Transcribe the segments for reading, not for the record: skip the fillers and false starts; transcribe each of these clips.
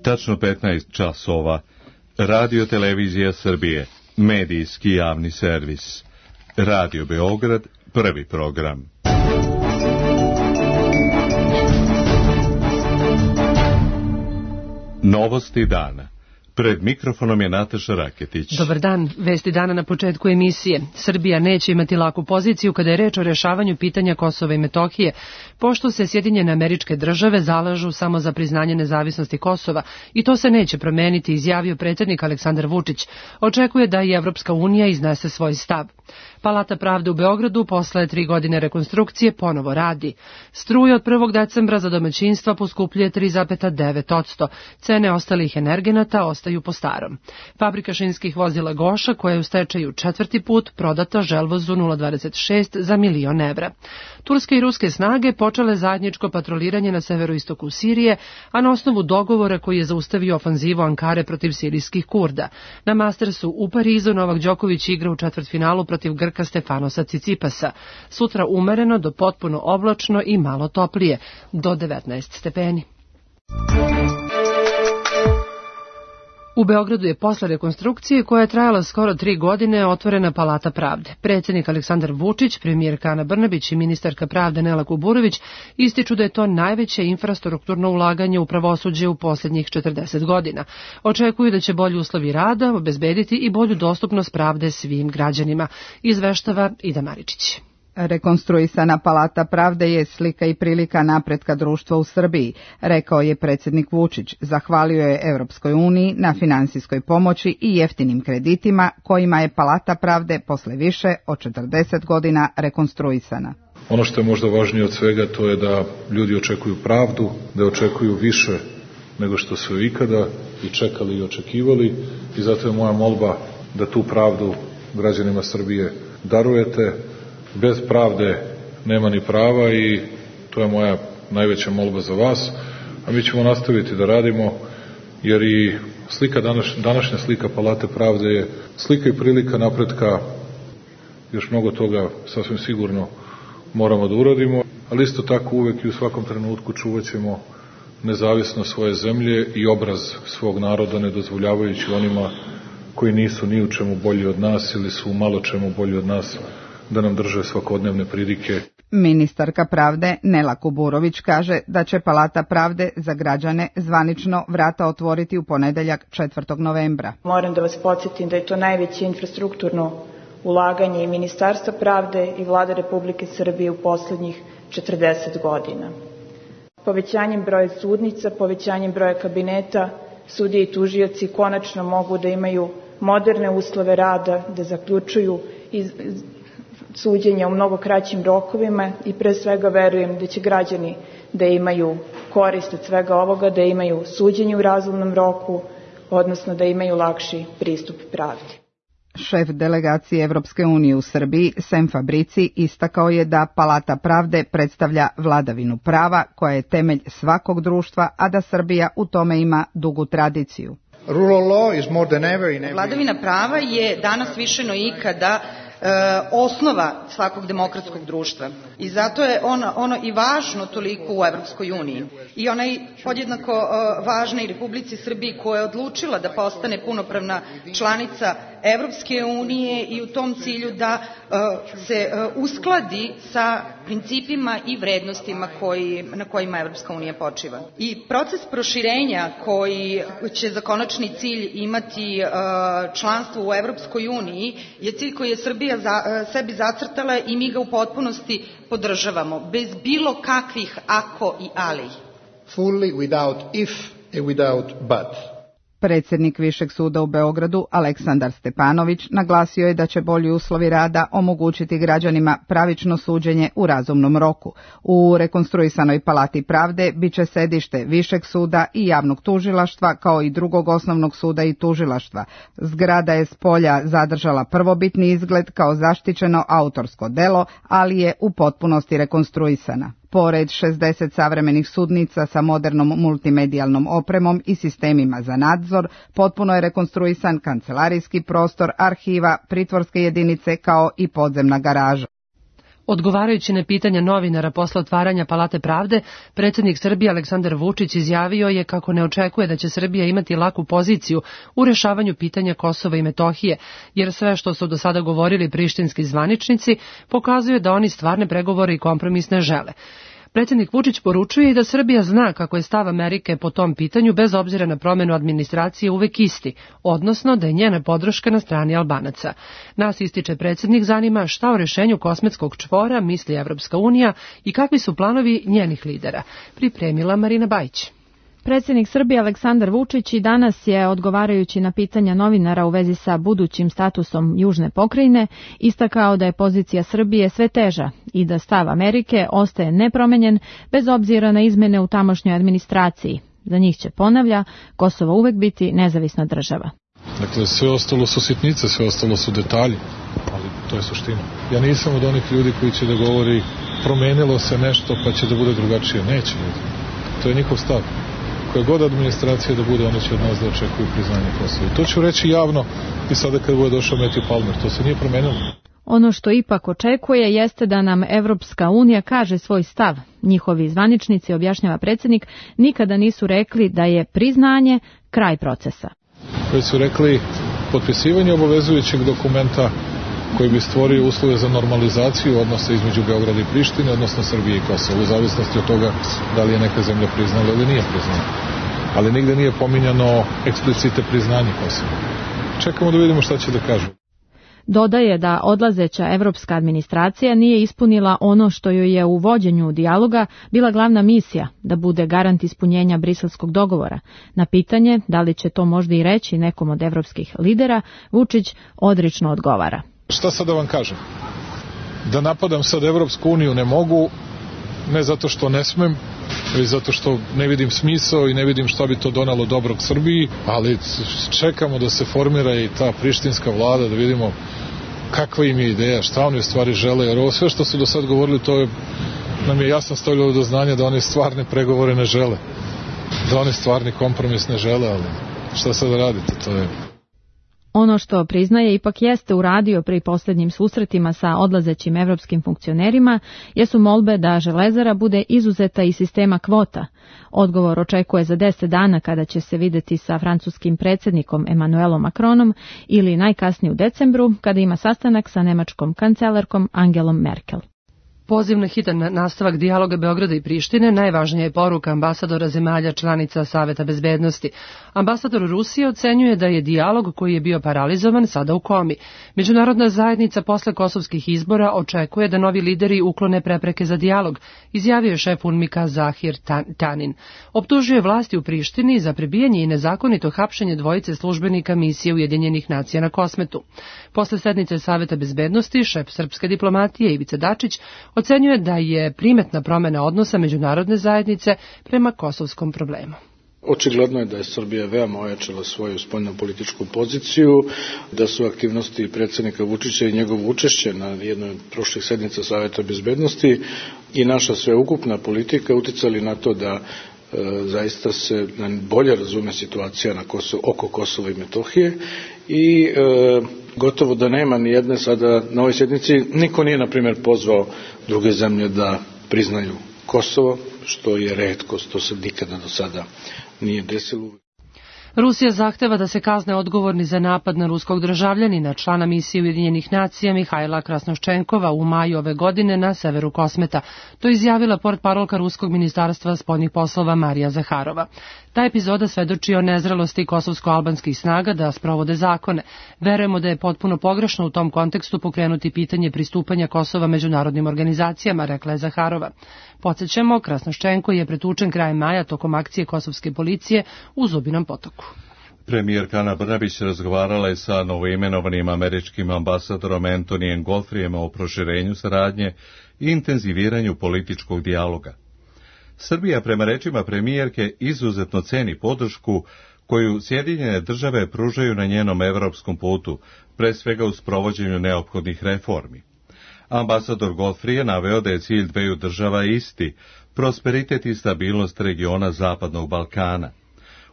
tačno 15 časova. Radio Televizija Srbije, medijski javni servis. Radio Beograd, prvi program. Novosti dana. Pred mikrofonom je Nataša Raketić. Dobar dan, vesti dana na početku emisije. Srbija neće imati laku poziciju kada je reč o rešavanju pitanja Kosova i Metohije, pošto se Sjedinjene Američke Države zalažu samo za priznanje nezavisnosti Kosova i to se neće promeniti, izjavio predsjednik Aleksandar Vučić. Očekuje da i Evropska unija iznese svoj stav. Palata pravde u Beogradu posle 3 godine rekonstrukcije ponovo radi. Struja od 1. decembra za domaćinstva poskupljuje 3,9%. Cene ostalih energenata ostaju po starom. Fabrika šinskih vozila Goša, koja je u stečaju 4. put, prodata Želvozu 0,26 za €1.000.000. Turske i ruske snage počele zajedničko patroliranje na severoistoku Sirije, a na osnovu dogovora koji je zaustavio ofanzivu Ankare protiv sirijskih Kurda. Na Mastersu u Parizu Novak Đoković igra u četvrtfinalu protiv Grka Stefanosa Cicipasa. Sutra umereno do potpuno oblačno i malo toplije, do 19 stepeni. U Beogradu je posle rekonstrukcije, koja je trajala skoro 3 godine, otvorena Palata pravde. Predsjednik Aleksandar Vučić, premijerka Ana Brnabić i ministarka pravde Nela Kuburović ističu da je to najveće infrastrukturno ulaganje u pravosuđe u posljednjih 40 godina. Očekuju da će bolji uslovi rada obezbediti i bolju dostupnost pravde svim građanima, izveštava Ida Maričić. Rekonstruisana Palata pravde je slika i prilika napretka društva u Srbiji, rekao je predsjednik Vučić. Zahvalio je Evropskoj uniji na finansijskoj pomoći i jeftinim kreditima kojima je Palata pravde posle više od 40 godina rekonstruisana. Ono što je možda važnije od svega, to je da ljudi očekuju pravdu, da očekuju više nego što su ikada i čekali i očekivali, i zato je moja molba da tu pravdu građanima Srbije darujete. Bez pravde nema ni prava i to je moja najveća molba za vas, a mi ćemo nastaviti da radimo, jer i današnja slika Palate pravde je slika i prilika napretka. Još mnogo toga sasvim sigurno moramo da uradimo, ali isto tako uvek i u svakom trenutku čuvat ćemo nezavisnost svoje zemlje i obraz svog naroda, ne dozvoljavajući onima koji nisu ni u čemu bolji od nas ili su u malo čemu bolji od nas da nam drže svakodnevne pridike. Ministarka pravde Nela Kuburović kaže da će Palata pravde za građane zvanično vrata otvoriti u ponedeljak 4. novembra. Moram da vas podsjetim da je to najveće infrastrukturno ulaganje i Ministarstva pravde i Vlade Republike Srbije u poslednjih 40 godina. Povećanjem broja sudnica, povećanjem broja kabineta, sudije i tužioci konačno mogu da imaju moderne uslove rada, da zaključuju suđenja u mnogo kraćim rokovima i pre svega verujem da će građani da imaju korist od svega ovoga, da imaju suđenje u razumnom roku, odnosno da imaju lakši pristup pravdi. Šef delegacije Evropske unije u Srbiji, Sem Fabrici, istakao je da Palata pravde predstavlja vladavinu prava koja je temelj svakog društva, a da Srbija u tome ima dugu tradiciju. Vladavina prava je danas više no ikada osnova svakog demokratskog društva i zato je ono i važno toliko u Evropskoj uniji i ona je podjednako važna i Republici Srbiji, koja je odlučila da postane punopravna članica Evropske unije i u tom cilju da se uskladi sa principima i vrednostima na kojima Evropska unija počiva. I proces proširenja koji će za konačni cilj imati članstvo u Evropskoj uniji je cilj koji je Srbija sebi zacrtala i mi ga u potpunosti podržavamo, bez bilo kakvih ako i ali. Fully without if and without but. Predsjednik Višeg suda u Beogradu, Aleksandar Stepanović, naglasio je da će bolji uslovi rada omogućiti građanima pravično suđenje u razumnom roku. U rekonstruisanoj Palati pravde biće sedište Višeg suda i javnog tužilaštva, kao i drugog osnovnog suda i tužilaštva. Zgrada je s polja zadržala prvobitni izgled kao zaštićeno autorsko delo, ali je u potpunosti rekonstruisana. Pored 60 savremenih sudnica sa modernom multimedijalnom opremom i sistemima za nadzor, potpuno je rekonstruisan kancelarijski prostor, arhiva, pritvorske jedinice kao i podzemna garaža. Odgovarajući na pitanja novinara posle otvaranja Palate pravde, predsjednik Srbije Aleksandar Vučić izjavio je kako ne očekuje da će Srbija imati laku poziciju u rešavanju pitanja Kosova i Metohije, jer sve što su do sada govorili prištinski zvaničnici pokazuje da oni stvarne pregovore i kompromis ne žele. Predsjednik Vučić poručuje i da Srbija zna kako je stav Amerike po tom pitanju bez obzira na promjenu administracije uvek isti, odnosno da je njena podrška na strani Albanaca. Nas, ističe predsjednik, zanima šta o rešenju kosmetskog čvora misli Evropska unija i kakvi su planovi njenih lidera. Pripremila Marina Bajić. Predsjednik Srbije Aleksandar Vučić i danas je, odgovarajući na pitanja novinara u vezi sa budućim statusom južne pokrajine, istakao da je pozicija Srbije sve teža i da stav Amerike ostaje nepromenjen bez obzira na izmene u tamošnjoj administraciji. Za njih će, ponavlja, Kosovo uvek biti nezavisna država. Dakle, sve ostalo su sitnice, sve ostalo su detalji, ali to je suština. Ja nisam od onih ljudi koji će da govori promenilo se nešto pa će da bude drugačije. Neće ljudi. To je njihov stav. Koja god administracija da bude, oni će od nas da očekuju priznanje Kosova. I to ću reći javno i sada kad bude došao Matthew Palmer. To se nije promenilo. Ono što ipak očekuje jeste da nam Evropska unija kaže svoj stav. Njihovi zvaničnici, objašnjava predsjednik, nikada nisu rekli da je priznanje kraj procesa. Već su rekli potpisivanje obavezujućeg dokumenta koji bi stvorio uslove za normalizaciju odnosa između Beograda i Prištine, odnosno Srbije i Kosova, u zavisnosti od toga da li je neka zemlja priznala ili nije priznala. Ali nigde nije pominjano eksplicite priznanje Kosova. Čekamo da vidimo šta će da kažu. Dodaje da odlazeća evropska administracija nije ispunila ono što joj je u vođenju dijaloga bila glavna misija, da bude garant ispunjenja briselskog dogovora. Na pitanje da li će to možda i reći nekom od evropskih lidera, Vučić odrično odgovara. Šta sad da vam kažem? Da napadam sad Evropsku uniju ne mogu, ne zato što ne smem, već zato što ne vidim smisao i ne vidim šta bi to donalo dobrog Srbiji, ali čekamo da se formira i ta prištinska vlada, da vidimo kakva im je ideja, šta oni u stvari žele, jer ovo sve što su do sad govorili, to je, nam je jasno stavljalo do znanja da oni stvarne pregovore ne žele, da oni stvarni kompromis ne žele, ali šta sad da radite, to je... Ono što priznaje ipak jeste uradio pri posljednjim susretima sa odlazećim evropskim funkcionerima jesu molbe da Železara bude izuzeta iz sistema kvota. Odgovor očekuje za 10 dana kada će se videti sa francuskim predsjednikom Emmanuelom Macronom ili najkasnije u decembru kada ima sastanak sa nemačkom kancelarkom Angelom Merkel. Poziv na hitan nastavak dijaloga Beograda i Prištine najvažnija je poruka ambasadora zemalja članica Saveta bezbednosti. Ambasador Rusije ocenjuje da je dijalog koji je bio paralizovan sada u komi. Međunarodna zajednica posle kosovskih izbora očekuje da novi lideri uklone prepreke za dijalog, izjavio je šef UNMIK-a Zahir Tanin. Optužuje vlasti u Prištini za prebijanje i nezakonito hapšenje dvojice službenika misije Ujedinjenih nacija na Kosmetu. Posle sednice Saveta bezbednosti, šef srpske diplomatije Ivica Dačić ocenjuje da je primetna promjena odnosa međunarodne zajednice prema kosovskom problemu. Očigledno je da je Srbija veoma ojačala svoju spoljnopolitičku poziciju, da su aktivnosti predsjednika Vučića i njegovo učešće na jednoj od prošlih sednica Saveta bezbednosti i naša sveukupna politika uticali na to da zaista se bolje razume situacija oko Kosova i Metohije i gotovo da nema ni jedne sada na ovoj sjednici, niko nije na primjer pozvao druge zemlje da priznaju Kosovo, što je retkost, to se nikada do sada nije desilo. Rusija zahteva da se kazne odgovorni za napad na ruskog državljanina, člana misije Ujedinjenih nacija Mihajla Krasnoščenkova u maju ove godine na severu Kosmeta. To je izjavila portparolka Ruskog ministarstva spoljnih poslova Marija Zaharova. Ta epizoda svedoči o nezrelosti kosovsko-albanskih snaga da sprovode zakone. Verujemo da je potpuno pogrešno u tom kontekstu pokrenuti pitanje pristupanja Kosova međunarodnim organizacijama, rekla je Zaharova. Podsjećamo, Krasnoščenko je pretučen krajem maja tokom akcije kosovske policije u Zubinom Potoku. Premijerka Ana Brnabić razgovarala je sa novoimenovanim američkim ambasadorom Antonijem Godfreyem o proširenju saradnje i intenziviranju političkog dijaloga. Srbija, prema rečima premijerke, izuzetno ceni podršku koju Sjedinjene države pružaju na njenom evropskom putu, pre svega u sprovođenju neophodnih reformi. Ambasador Godfrey je naveo da je cilj dveju država isti, prosperitet i stabilnost regiona Zapadnog Balkana.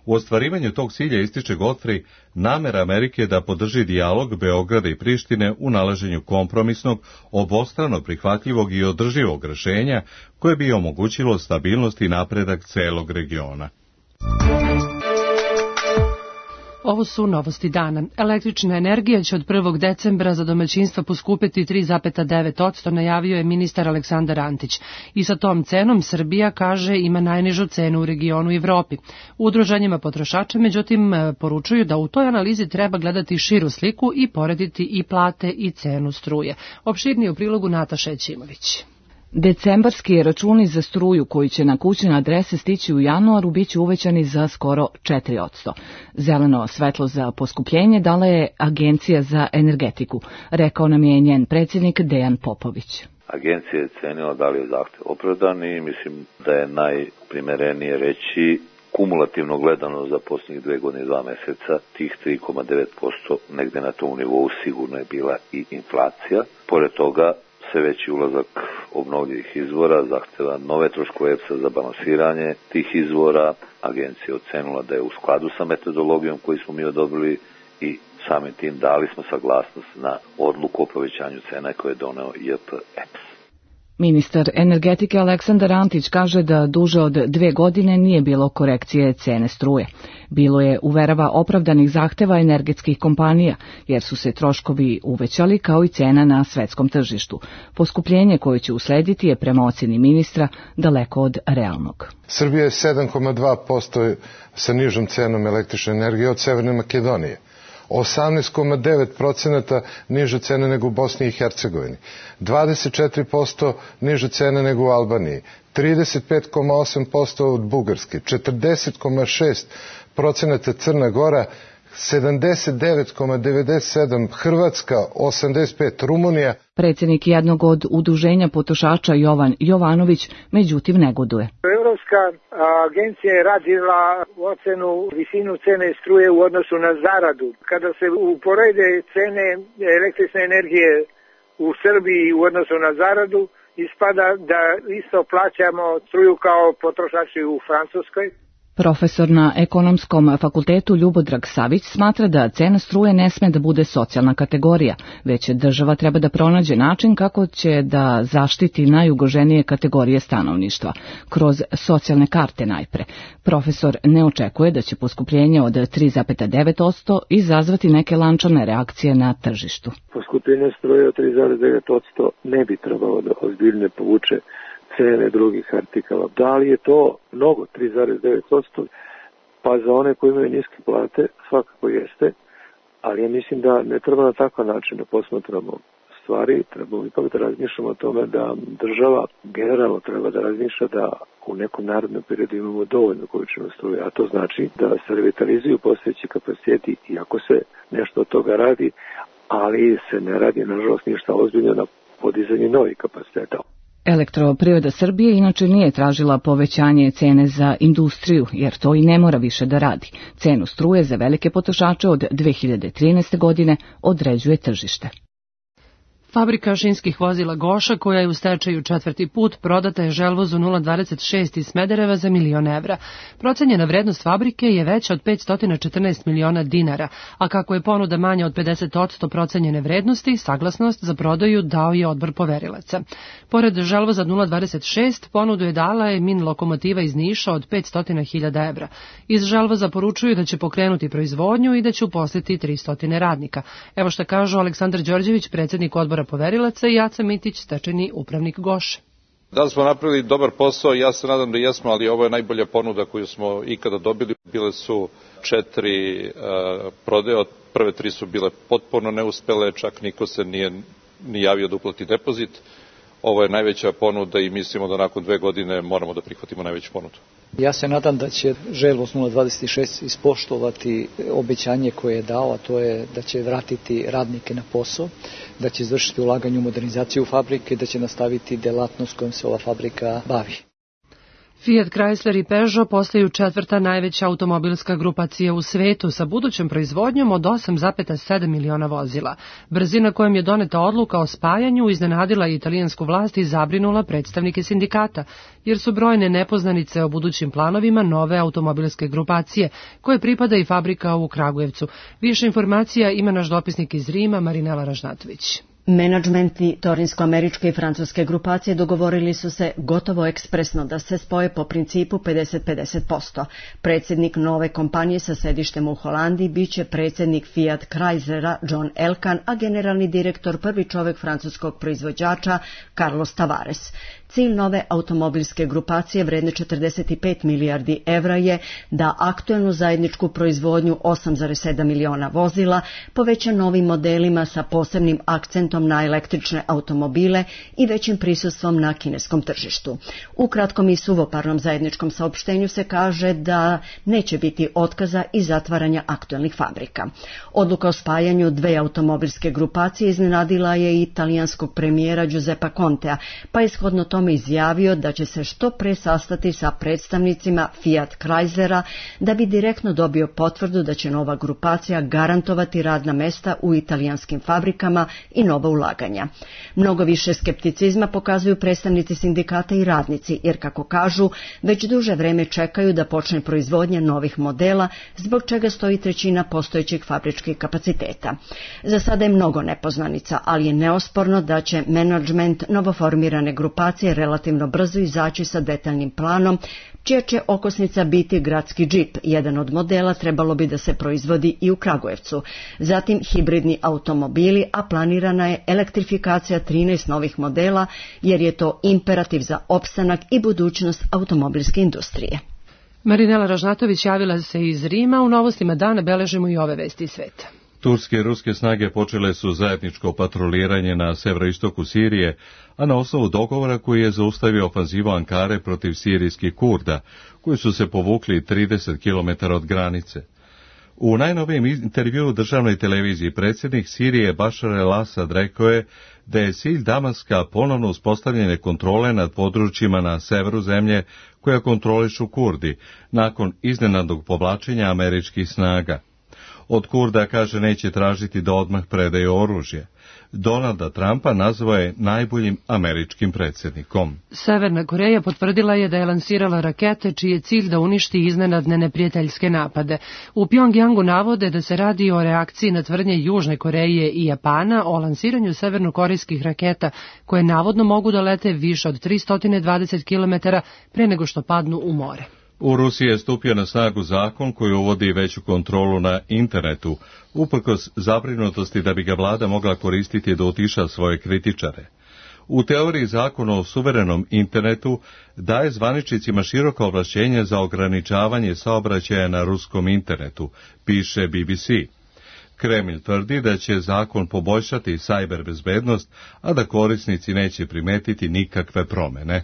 U ostvarivanju tog cilja, ističe Godfrey, namera Amerike da podrži dijalog Beograda i Prištine u nalaženju kompromisnog, obostrano prihvatljivog i održivog rešenja koje bi omogućilo stabilnost i napredak celog regiona. Ovo su novosti dana. Električna energija će od 1. decembra za domaćinstva poskupiti 3,9%, najavio je ministar Aleksandar Antić. I sa tom cenom Srbija, kaže, ima najnižu cenu u regionu i Evropi. U udruženjima potrošača, međutim, poručuju da u toj analizi treba gledati širu sliku i porediti i plate i cenu struje. Opširnije u prilogu Nataša Ećimović. Decembarski računi za struju koji će na kućne adrese stići u januaru biće uvećani za skoro 4%. Zeleno svetlo za poskupljenje dala je Agencija za energetiku, rekao nam je njen predsjednik Dejan Popović. Agencija je cenila da li je zahtev opravdan i mislim da je najprimerenije reći kumulativno gledano za posljednjih 2 godine i 2 meseca tih 3,9% negde na tom nivou sigurno je bila i inflacija. Pored toga, sve veći ulazak obnovljivih izvora zahteva nove troškove EPS-a za balansiranje tih izvora. Agencija je ocenila da je u skladu sa metodologijom koju smo mi odobrili i samim tim dali smo saglasnost na odluku o povećanju cena koje je doneo JP EPS. Ministar energetike Aleksandar Antić kaže da duže od 2 godine nije bilo korekcije cene struje. Bilo je, uverava, opravdanih zahteva energetskih kompanija, jer su se troškovi uvećali kao i cena na svetskom tržištu. Poskupljenje koje će uslediti je prema oceni ministra daleko od realnog. Srbija je 7,2% sa nižom cenom električne energije od Severne Makedonije. 18,9% niže cene nego u Bosni i Hercegovini, 24% niže cene nego u Albaniji, 35,8% od Bugarske, 40,6% Crna Gora, 79,97% Hrvatska, 85% Rumunija. Predsjednik jednog od udruženja potrošača Jovan Jovanović međutim negoduje. Evropska agencija je radila ocenu visinu cene struje u odnosu na zaradu. Kada se uporede cene električne energije u Srbiji u odnosu na zaradu, ispada da isto plaćamo struju kao potrošači u Francuskoj. Profesor na Ekonomskom fakultetu Ljubodrag Savić smatra da cena struje ne sme da bude socijalna kategorija, već država treba da pronađe način kako će da zaštiti najugroženije kategorije stanovništva, kroz socijalne karte najpre. Profesor ne očekuje da će poskupljenje od 3,9% izazvati neke lančane reakcije na tržištu. Poskupljenje struje od 3,9% ne bi trebalo da ozbiljno povuče cene drugih artikala. Da li je to mnogo, 3,9%? Pa za one koji imaju niske plate svakako jeste, ali ja mislim da ne treba na takav način da posmatramo stvari, treba ipak da razmišljamo o tome da država generalno treba da razmišlja da u nekom narednom periodu imamo dovoljno količinu struje, a to znači da se revitalizuju postojeći kapaciteti i ako se nešto od toga radi, ali se ne radi nažalost ništa ozbiljno na podizanju novih kapaciteta. Elektroprivreda Srbije inače nije tražila povećanje cene za industriju, jer to i ne mora više da radi. Cenu struje za velike potrošače od 2013. godine određuje tržište. Fabrika šinskih vozila Goša, koja je u stečaju 4. put, prodata je Želvozu 026 iz Smedereva za $1.000.000 evra. Procenjena vrednost fabrike je veća od 514 miliona dinara, a kako je ponuda manja od 50% procenjene vrednosti, saglasnost za prodaju dao je odbor poverilaca. Pored Želvoza 026, ponudu je dala je Min lokomotiva iz Niša od 500.000 evra. Iz Želvoza poručuju da će pokrenuti proizvodnju i da će uposliti 300 radnika. Evo šta kažu Aleksandar Đorđević, predsjednik odbora poverilaca, i Aca Mitić, stečajni upravnik Goše. Da smo napravili dobar posao, ja se nadam da jesmo, ali ovo je najbolja ponuda koju smo ikada dobili. Bile su 4 prodaje, prve 3 su bile potpuno neuspele, čak niko se nije ni javio da uplati depozit. Ovo je najveća ponuda i mislimo da nakon 2 godine moramo da prihvatimo najveću ponudu. Ja se nadam da će Želvoz 026 ispoštovati obećanje koje je dao, a to je da će vratiti radnike na posao, da će izvršiti ulaganje u modernizaciju fabrike i da će nastaviti delatnost kojom se ova fabrika bavi. Fiat, Chrysler i Peugeot postaju četvrta najveća automobilska grupacija u svetu sa budućom proizvodnjom od 8,7 miliona vozila. Brzina kojom je doneta odluka o spajanju iznenadila je italijansku vlast i zabrinula predstavnike sindikata, jer su brojne nepoznanice o budućim planovima nove automobilske grupacije, koje pripada i fabrika u Kragujevcu. Više informacija ima naš dopisnik iz Rima, Marinela Ražnatović. Menadžmenti torinsko-američke i francuske grupacije dogovorili su se gotovo ekspresno da se spoje po principu 50-50%. Predsjednik nove kompanije sa sedištem u Holandiji biće predsjednik Fiat Chryslera John Elkann, a generalni direktor prvi čovjek francuskog proizvođača Carlos Tavares. Cilj nove automobilske grupacije vredne 45 milijardi evra je da aktuelnu zajedničku proizvodnju 8,7 miliona vozila poveća novim modelima sa posebnim akcentom na električne automobile i većim prisustvom na kineskom tržištu. U kratkom i suvoparnom zajedničkom saopštenju se kaže da neće biti otkaza i zatvaranja aktuelnih fabrika. Odluka o spajanju dve automobilske grupacije iznenadila je i italijanskog premijera Giuseppa Contea, pa je shodno tome izjavio da će se što pre sastati sa predstavnicima Fiat Chryslera da bi direktno dobio potvrdu da će nova grupacija garantovati radna mesta u italijanskim fabrikama i nova ulaganja. Mnogo više skepticizma pokazuju predstavnici sindikata i radnici, jer kako kažu, već duže vreme čekaju da počne proizvodnja novih modela, zbog čega stoji trećina postojećih fabričkih kapaciteta. Za sada je mnogo nepoznanica, ali je neosporno da će menadžment novoformirane grupacije relativno brzo izaći sa detaljnim planom, čija će okosnica biti gradski džip. Jedan od modela trebalo bi da se proizvodi i u Kragujevcu. Zatim hibridni automobili, a planirana je elektrifikacija 13 novih modela, jer je to imperativ za opstanak i budućnost automobilske industrije. Marinela Ražnatović javila se iz Rima. U novostima dana beležimo i ove vesti iz sveta. Turske i ruske snage počele su zajedničko patroliranje na severoistoku Sirije, a na osnovu dogovora koji je zaustavio ofanzivu Ankare protiv sirijskih Kurda, koji su se povukli 30 km od granice. U najnovijem intervjuu državnoj televiziji predsjednik Sirije Bašar el-Asad rekao je da je cilj Damaska ponovno uspostavljanje kontrole nad područjima na severu zemlje koja kontrolišu Kurdi, nakon iznenadnog povlačenja američkih snaga. Od Kurda, kaže, neće tražiti da odmah predaju oružje. Donalda Trumpa nazvao je najboljim američkim predsjednikom. Severna Koreja potvrdila je da je lansirala rakete čiji je cilj da uništi iznenadne neprijateljske napade. U Pjongjangu navode da se radi o reakciji na tvrdnje Južne Koreje i Japana o lansiranju severnokorejskih raketa koje navodno mogu da lete više od 320 km pre nego što padnu u more. U Rusiji je stupio na snagu zakon koji uvodi veću kontrolu na internetu, uprkos zabrinutosti da bi ga vlada mogla koristiti da utiša svoje kritičare. U teoriji zakon o suverenom internetu daje zvaničnicima široka ovlašćenja za ograničavanje saobraćaja na ruskom internetu, piše BBC. Kremlj tvrdi da će zakon poboljšati cyber bezbednost, a da korisnici neće primetiti nikakve promene.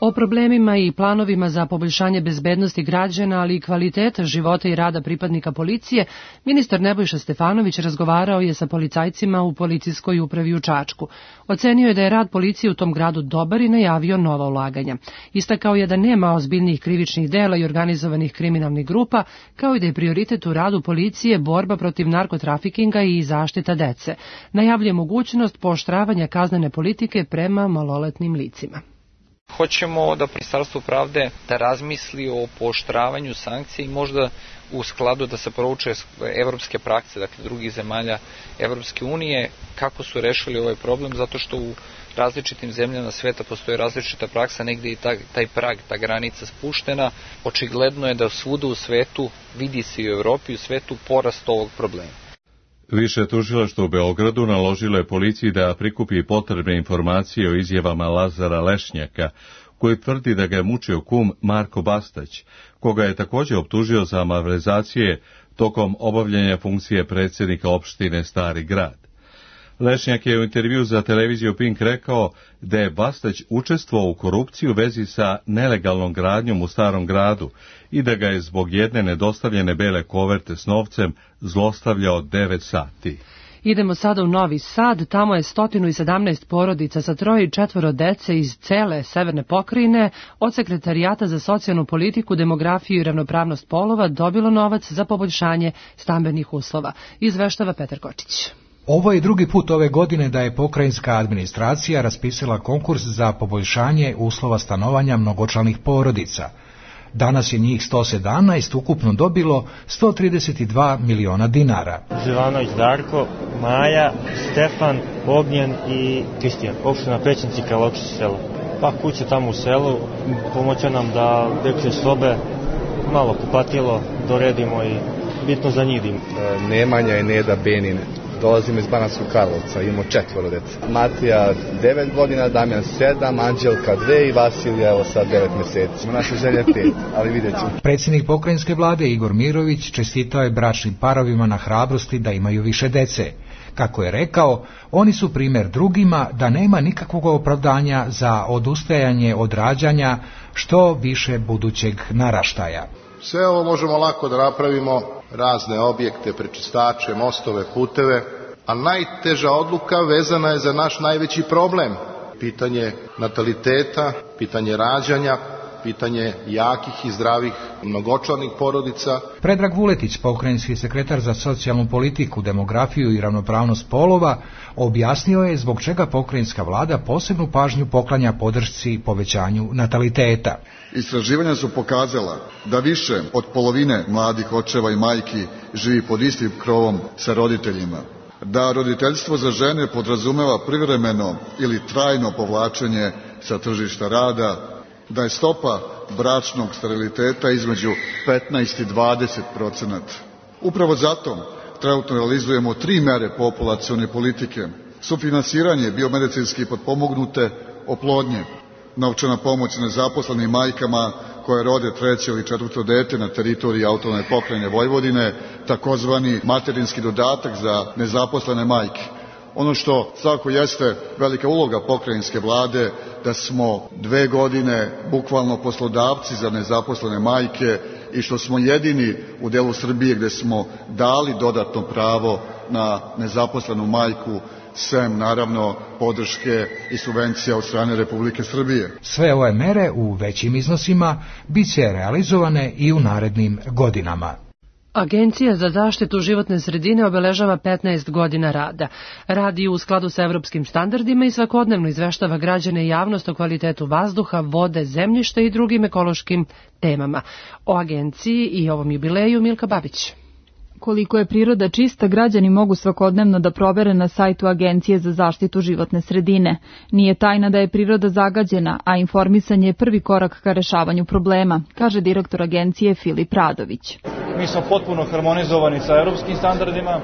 O problemima i planovima za poboljšanje bezbednosti građana, ali i kvaliteta života i rada pripadnika policije, ministar Nebojša Stefanović razgovarao je sa policajcima u policijskoj upravi u Čačku. Ocenio je da je rad policije u tom gradu dobar i najavio nova ulaganja. Istakao je da nema ozbiljnih krivičnih dela i organizovanih kriminalnih grupa, kao i da je prioritet u radu policije borba protiv narkotrafikinga i zaštita dece. Najavljuje mogućnost pooštravanja kaznene politike prema maloletnim licima. Hoćemo da Ministarstvo pravde da razmisli o pooštravanju sankcija i možda u skladu da se prouče evropske prakse, dakle drugih zemalja Evropske unije, kako su rešili ovaj problem, zato što u različitim zemljama sveta postoji različita praksa, negdje i taj prag, ta granica spuštena. Očigledno je da svuda u svetu, vidi se i u Evropi i u svetu, porast ovog problema. Više tužilaštvo u Beogradu naložilo je policiji da prikupi potrebne informacije o izjavama Lazara Lešnjaka, koji tvrdi da ga je mučio kum Marko Bastać, koga je također optužio za malverzacije tokom obavljanja funkcije predsjednika opštine Stari Grad. Lešnjak je u intervju za televiziju Pink rekao da je Bastać učestvovao u korupciji u vezi sa nelegalnom gradnjom u Starom Gradu i da ga je zbog jedne nedostavljene bele koverte s novcem zlostavljao 9 sati. Idemo sada u Novi Sad, tamo je 117 porodica sa 3 i 4 dece iz cele severne pokrajine od Sekretarijata za socijalnu politiku, demografiju i ravnopravnost polova dobilo novac za poboljšanje stambenih uslova. Izveštava Petar Kočić. Ovo je drugi put ove godine da je pokrajinska administracija raspisala konkurs za poboljšanje uslova stanovanja mnogočlanih porodica. Danas je njih 117 ukupno dobilo 132 miliona dinara. Živanović Darko, Maja, Stefan, Ognjen i Kristijan. Opština Pećinci, Karlovčić selo. Pa kuće tamo u selu, pomoće nam da dečje sobe, malo kupatilo, doredimo i bitno za njih. Nemanja i Neda Benin. Dolazimo iz Banatskog Karlovca, imamo 4 dece. Matija 9 godina, Damjan 7, Anđelka 2 i Vasilija evo sad 9 meseci. Naša želja 5, ali vidjet ćemo. Predsjednik pokrajinske vlade Igor Mirović čestitao je bračnim parovima na hrabrosti da imaju više dece. Kako je rekao, oni su primjer drugima da nema nikakvog opravdanja za odustajanje od rađanja što više budućeg naraštaja. Sve ovo možemo lako da napravimo, razne objekte, prečistače, mostove, puteve, a najteža odluka vezana je za naš najveći problem. Pitanje nataliteta, pitanje rađanja, pitanje jakih i zdravih mnogočlanih porodica. Predrag Vuletić, pokrajinski sekretar za socijalnu politiku, demografiju i ravnopravnost polova, objasnio je zbog čega pokrajinska vlada posebnu pažnju poklanja podršci povećanju nataliteta. Istraživanja su pokazala da više od polovine mladih očeva i majki živi pod istim krovom sa roditeljima, da roditeljstvo za žene podrazumeva privremeno ili trajno povlačenje sa tržišta rada, da je stopa bračnog steriliteta između 15 i 20%. Upravo zato trenutno realizujemo 3 mere populacione politike: sufinansiranje biomedicinski potpomognute oplodnje, novčana pomoć nezaposlenim majkama koje rode 3. ili 4. dete na teritoriji autonomne pokrajine Vojvodine, takozvani materinski dodatak za nezaposlene majke. Ono što svakako jeste velika uloga pokrajinske vlade, da smo 2 godine bukvalno poslodavci za nezaposlene majke i što smo jedini u delu Srbije gde smo dali dodatno pravo na nezaposlenu majku, sem naravno podrške i subvencija od strane Republike Srbije. Sve ove mere u većim iznosima bit će realizovane i u narednim godinama. Agencija za zaštitu životne sredine obeležava 15 godina rada. Radi u skladu sa evropskim standardima i svakodnevno izveštava građane i javnost o kvalitetu vazduha, vode, zemljišta i drugim ekološkim temama. O agenciji i ovom jubileju Milka Babić. Koliko je priroda čista, građani mogu svakodnevno da provere na sajtu Agencije za zaštitu životne sredine. Nije tajna da je priroda zagađena, a informisanje je prvi korak ka rešavanju problema, kaže direktor agencije Filip Radović. Mi smo potpuno harmonizovani sa evropskim standardima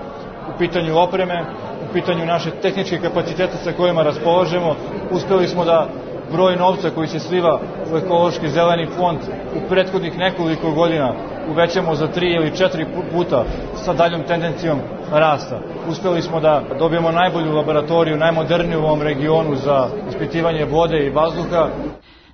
u pitanju opreme, u pitanju naše tehničke kapacitete sa kojima raspolažemo. Uspeli smo da broj novca koji se sliva u ekološki zeleni fond u prethodnih nekoliko godina uvećamo za 3 ili 4 puta sa daljom tendencijom rasta. Uspeli smo da dobijemo najbolju laboratoriju, najmoderniju u ovom regionu za ispitivanje vode i vazduha.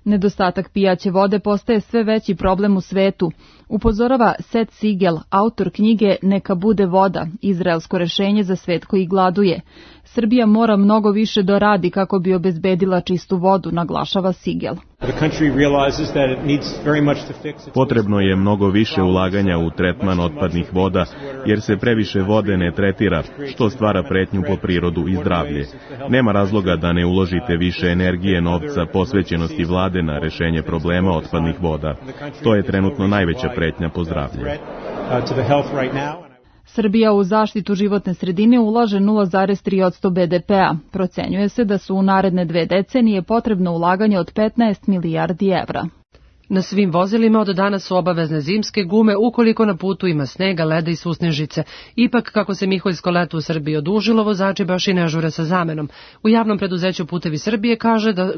Nedostatak pijaće vode postaje sve veći problem u svetu, upozorava Seth Siegel, autor knjige Neka bude voda, izraelsko rešenje za svet koji gladuje. Srbija mora mnogo više da radi kako bi obezbedila čistu vodu, naglašava Siegel. Potrebno je mnogo više ulaganja u tretman otpadnih voda, jer se previše vode ne tretira, što stvara pretnju po prirodu i zdravlje. Nema razloga da ne uložite više energije, novca, posvećenosti vlade na rešenje problema otpadnih voda. To je trenutno najveća pretnja po zdravlje. Srbija u zaštitu životne sredine ulaže 0,3% BDP-a. Procenjuje se da su u naredne 2 decenije potrebno ulaganje od 15 milijardi evra. Na svim vozilima od danas su obavezne zimske gume ukoliko na putu ima snega, leda i susnežice. Ipak, kako se miholjsko leto u Srbiji odužilo, vozači baš i ne žure sa zamenom. U javnom preduzeću Putevi Srbije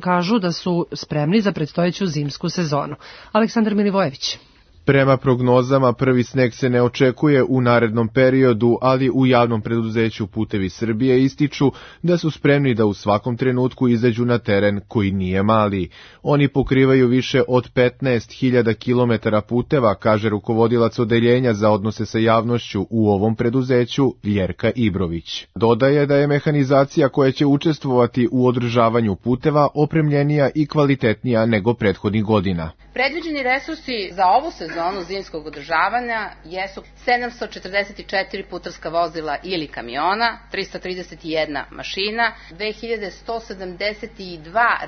kažu da su spremni za predstojeću zimsku sezonu. Aleksandar Milivojević. Prema prognozama, prvi sneg se ne očekuje u narednom periodu, ali u javnom preduzeću Putevi Srbije ističu da su spremni da u svakom trenutku izađu na teren koji nije mali. Oni pokrivaju više od 15.000 kilometara puteva, kaže rukovodilac odeljenja za odnose sa javnošću u ovom preduzeću Ljerka Ibrović. Dodaje da je mehanizacija koja će učestvovati u održavanju puteva opremljenija i kvalitetnija nego prethodnih godina. Predviđeni resursi za ovu sezonu zimskog održavanja jesu 744 putarska vozila ili kamiona, 331 mašina, 2172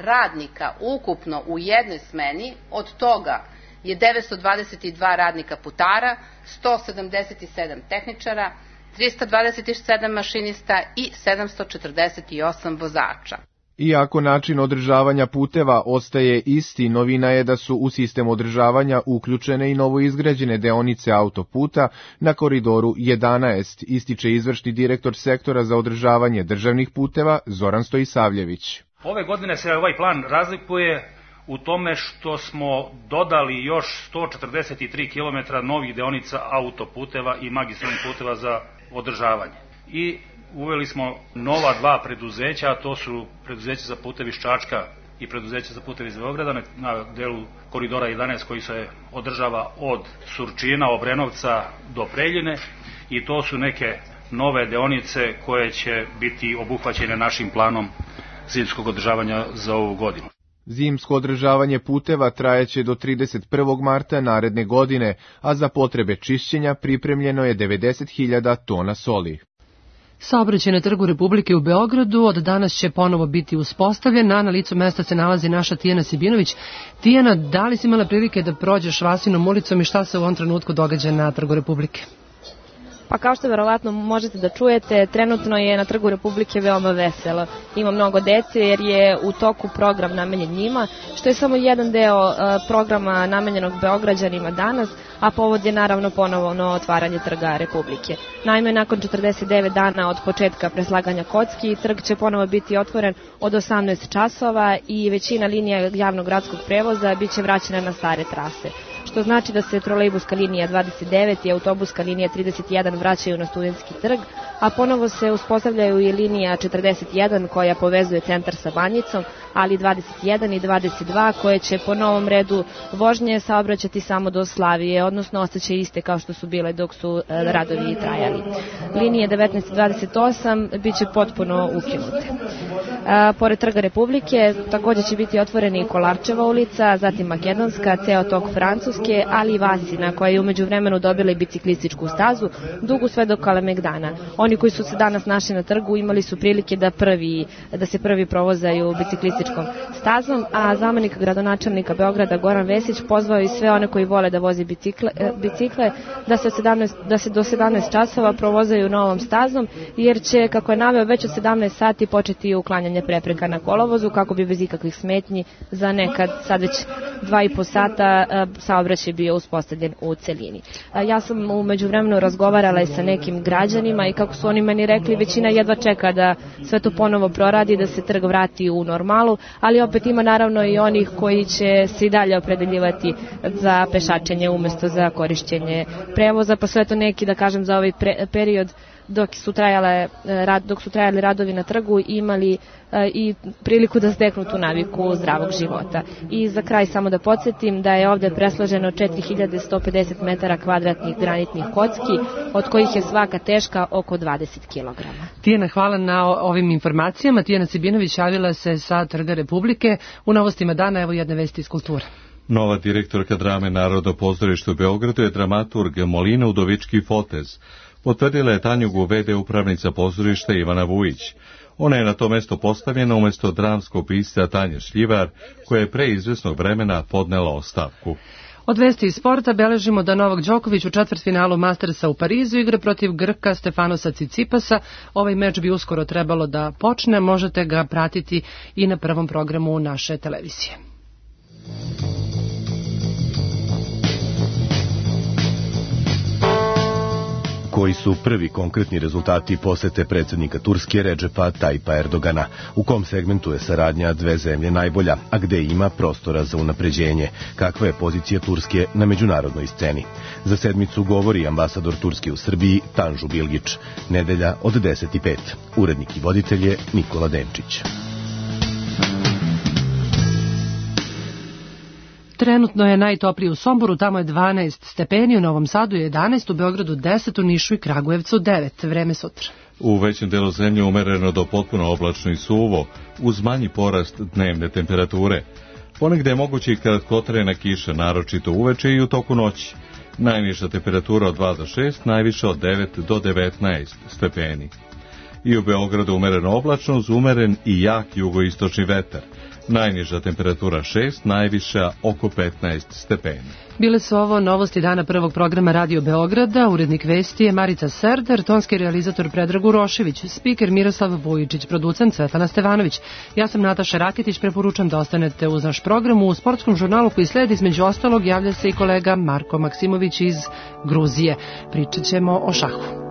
radnika ukupno u jednoj smeni, od toga je 922 radnika putara, 177 tehničara, 327 mašinista i 748 vozača. Iako način održavanja puteva ostaje isti, novina je da su u sistem održavanja uključene i novoizgrađene deonice autoputa na koridoru 11, ističe izvršni direktor sektora za održavanje državnih puteva Zoran Stojisavljević. Ove godine se ovaj plan razlikuje u tome što smo dodali još 143 km novih deonica autoputeva i magistralnih puteva za održavanje. I uveli smo nova dva preduzeća, a to su preduzeće za putevi iz Čačka i preduzeće za putevi iz Beograda na delu koridora 11 koji se održava od Surčina, Obrenovca do Preljine, i to su neke nove deonice koje će biti obuhvaćene našim planom zimskog održavanja za ovu godinu. Zimsko održavanje puteva trajeće do 31. marta naredne godine, a za potrebe čišćenja pripremljeno je 90.000 tona soli. Saobraćaj na Trgu Republike u Beogradu od danas će ponovo biti uspostavljen, a na licu mesta se nalazi naša Tijana Sibinović. Tijana, da li si imala prilike da prođeš Vasinom ulicom i šta se u ovom trenutku događa na Trgu Republike? Pa kao što verovatno možete da čujete, trenutno je na Trgu Republike veoma veselo. Ima mnogo dece jer je u toku program namenjen njima, što je samo jedan deo programa namenjenog Beograđanima danas, a povod je naravno ponovno otvaranje Trga Republike. Naime, nakon 49 dana od početka preslaganja kocki, trg će ponovo biti otvoren od 18 časova i većina linija javnog gradskog prevoza biće vraćena na stare trase. Što znači da se trolejbuska linija 29 i autobuska linija 31 vraćaju na Studentski trg, a ponovo se uspostavljaju i linija 41 koja povezuje centar sa Banjicom, ali 21 i 22 koje će po novom redu vožnje saobraćati samo do Slavije, odnosno ostaće iste kao što su bile dok su radovi trajali. Linije 19 i 28 bit će potpuno ukinute. Pored Trga Republike također će biti otvoreni i Kolarčeva ulica, zatim Makedonska, ceo tok Francuske, ali i Vasina koja je umeđu vremenu dobila i biciklističku stazu, dugu sve do Kalemegdana. Oni koji su se danas našli na trgu imali su prilike da se prvi provozaju biciklističkom stazom, a zamenik gradonačelnika Beograda Goran Vesić pozvao i sve one koji vole da voze bicikle da se do 17 časova provozaju novom stazom, jer će, kako je naveo, već od 17 sati početi uklanjanje prepreka na kolovozu kako bi bez ikakvih smetnji za nekad sad već 2,5 sata saobraćaj bio uspostavljen u celini. Ja sam u međuvremenu razgovarala i sa nekim građanima i kako su oni meni rekli, većina jedva čeka da sve to ponovo proradi, da se trg vrati u normalu, ali opet ima naravno i onih koji će se i dalje opredeljivati za pešačenje umesto za korišćenje prevoza, pa sve to neki, da kažem, za ovaj period dok su trajali radovi na trgu imali i priliku da steknu tu naviku zdravog života. I za kraj samo da podsjetim da je ovdje presloženo 4150 metara kvadratnih granitnih kocki, od kojih je svaka teška oko 20 kg. Tijana, hvala na ovim informacijama. Tijana Sibinović javila se sa Trga Republike. U novostima dana evo jedne vesti iz kulture. Nova direktorka drame Narodno pozorište u Beogradu je dramaturg Molina Udovički Fotez. Potvrdila je Tanjugu v.d. upravnica pozorišta Ivana Vujić. Ona je na to mesto postavljena umjesto dramskog pisca Tanje Šljivar, koja je pre izvesnog vremena podnela ostavku. Od vesti iz sporta beležimo da Novak Đoković u četvrtfinalu Mastersa u Parizu igra protiv Grka Stefanosa Cicipasa. Ovaj meč bi uskoro trebalo da počne, možete ga pratiti i na prvom programu naše televizije. Koji su prvi konkretni rezultati posete predsjednika Turske Redžepa Tajpa Erdogana? U kom segmentu je saradnja dve zemlje najbolja, a gde ima prostora za unapređenje? Kakva je pozicija Turske na međunarodnoj sceni? Za sedmicu govori ambasador Turske u Srbiji Tanžu Bilgić. Nedelja od 10:05. Urednik i voditelj je Nikola Denčić. Trenutno je najtoplije u Somboru, tamo je 12 stepeni, u Novom Sadu je 11, u Beogradu 10, u Nišu i Kragujevcu 9. Vreme sutra. U većem delu zemlje umereno do potpuno oblačno i suvo, uz manji porast dnevne temperature. Ponegde je moguće i kratkotrajna kiša, naročito uveče i u toku noći. Najniža temperatura od 2 do 6, najviša od 9 do 19 stepeni. I u Beogradu umereno oblačno uz umeren i jak jugoistočni vetar. Najniža temperatura 6, najviša oko 15 stepeni. Bile su ovo novosti dana prvog programa Radio Beograda, urednik vesti je Marica Serdar, tonski realizator Predrag Urošević, spiker Miroslav Vujičić, producent Svetlana Stevanović. Ja sam Nataša Raketić, preporučam da ostanete uz naš program. U sportskom žurnalu koji sledi između ostalog javlja se i kolega Marko Maksimović iz Gruzije. Pričat ćemo o šahu.